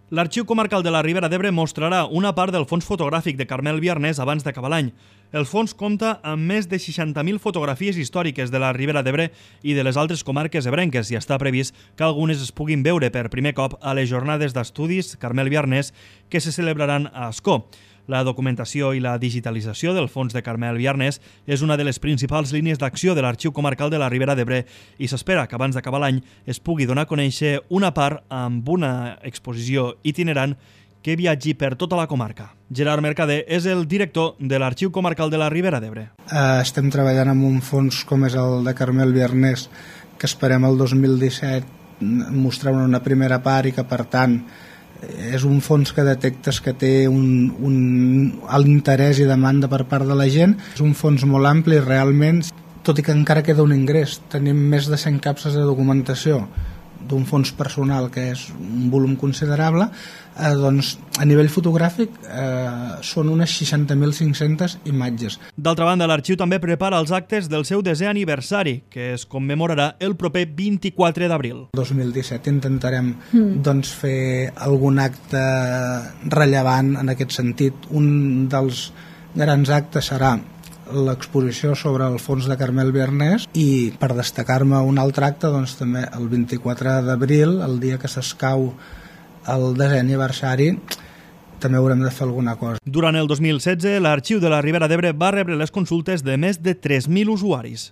L'Arxiu Comarcal de la Ribera d'Ebre mostrarà una part del fons fotogràfic de Carmel Biarnés abans d'acabar l'any. El fons compta amb més de 60.000 fotografies històriques de la Ribera d'Ebre i de les altres comarques ebrenques i està previst que algunes es puguin veure per primer cop a les jornades d'estudis Carmel Biarnés que se celebraran a Ascó. La documentació i la digitalització del fons de Carmel Biarnés és una de les principals línies d'acció de l'Arxiu Comarcal de la Ribera d'Ebre i s'espera que abans d'acabar l'any es pugui donar a conèixer una part amb una exposició itinerant que viatgi per tota la comarca. Gerard Mercader és el director de l'Arxiu Comarcal de la Ribera d'Ebre. Estem treballant amb un fons com és el de Carmel Biarnés que esperem el 2017 mostrar una primera part i que per tant és un fons que detectes que té un alt interès i demanda per part de la gent. És un fons molt ampli realment, tot i que encara queda un ingrés. Tenim més de 100 capses de documentació d'un fons personal que és un volum considerable, doncs a nivell fotogràfic són unes 60.500 imatges. D'altra banda, l'Arxiu també prepara els actes del seu 10è aniversari, que es commemorarà el proper 24 d'abril. El 2017 intentarem doncs, fer algun acte rellevant en aquest sentit. Un dels grans actes serà l'exposició sobre el fons de Carmel Biarnés i per destacar-me un altre acte doncs, també el 24 d'abril, el dia que s'escau el 10è aniversari, també haurem de fer alguna cosa. Durant el 2016, l'Arxiu de la Ribera d'Ebre va rebre les consultes de més de 3.000 usuaris.